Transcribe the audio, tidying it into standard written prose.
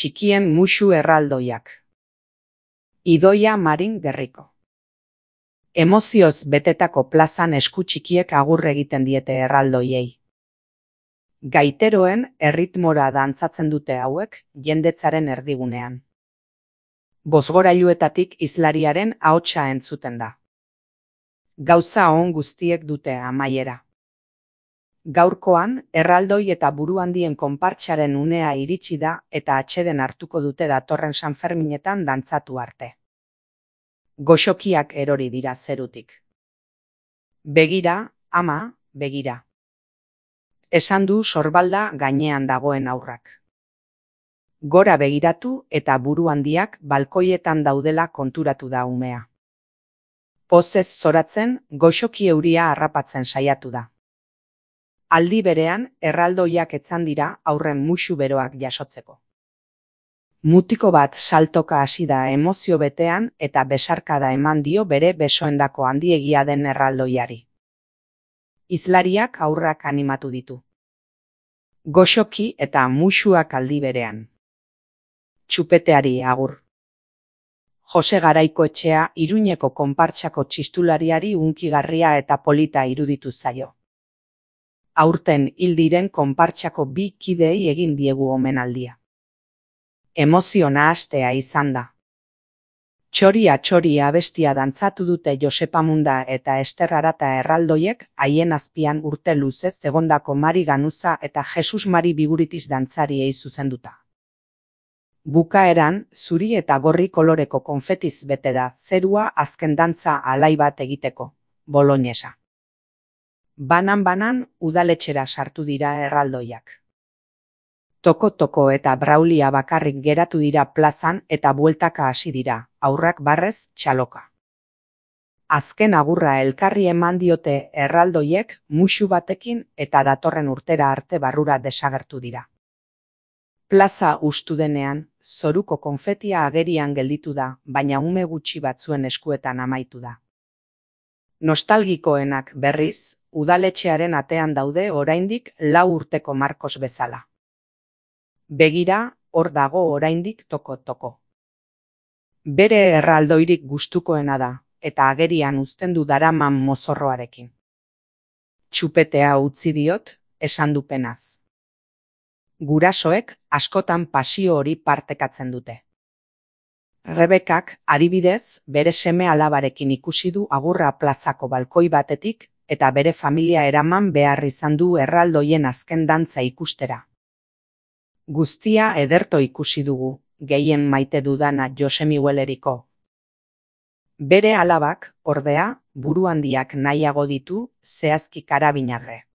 Txikien musu erraldoiak. Idoia Marin Gerriko. Emozioz betetako plazan esku txikiek agur egiten diete erraldoiei. Gaiteroen erritmora dantzatzen dute hauek jendetzaren erdigunean. Bozgorailuetatik hizlariaren ahotsa entzuten da. Gauza on guztiek dute amaiera. Gaurkoan, erraldoi eta buruhandien konpartsaren unea iritsi da eta atseden hartuko dute datorren Sanferminetan dantzatu arte. Goxokiak erori dira zerutik. Begira, ama, begira. Esan du sorbalda gainean dagoen haurrak. Gora begiratu eta buruhandiak balkoietan daudela konturatu da umea. Pozez zoratzen, goxoki euria harrapatzen saiatu da. Aldi berean, erraldoiak etzan dira aurren musu beroak jasotzeko. Mutiko bat saltoka hasi da emozio betean eta besarkada eman dio bere besoendako handiegia den erraldoiari. Hizlariak haurrak animatu ditu. Goxoki eta musuak aldi berean. Txupeteari agur. Jose Garaikoetxea Iruñeko konpartsako txistulariari hunkigarria eta polita iruditu zaio. Aurten hil diren konpartsako bi kideei egin diegu omenaldia. Emozio nahastea izan da. Txoria txoria abestia dantzatu dute Josepa Munda eta Ester Arata erraldoiek haien azpian urte luzez egondako Mari Ganuza eta Jesus Mari Biguritis dantzariei zuzenduta. Bukaeran, zuri eta gorri koloreko konfetiz bete da zerua azken dantza alai bat egiteko, boloñesa. Banan-banan udaletxera sartu dira erraldoiak. Toko-toko eta braulia bakarrik geratu dira plazan eta bueltaka hasi dira, haurrak barrez txaloka. Azken agurra elkarri eman diote erraldoiek musu batekin eta datorren urtera arte barrura desagertu dira. Plaza hustu denean, zoruko konfetia agerian gelditu da, baina ume gutxi batzuen eskuetan amaitu da. Nostalgikoenak berriz, udaletxearen atean daude oraindik 4 urteko Markos bezala. Begira, hor dago oraindik toko-toko. Bere erraldoirik gustukoena da, eta agerian uzten du daraman mozorroarekin. Txupetea utzi diot, esan du penaz. Gurasoek askotan pasio hori partekatzen dute. Rebekak, adibidez, bere seme alabarekin ikusi du agurra plazako balkoi batetik eta bere familia eraman behar izan du erraldoien azken dantza ikustera. Guztia ederto ikusi dugu, gehien maite dudana Jose Migueleriko. Bere alabak, ordea, buruhandiak nahiago ditu zehazki karabinagre.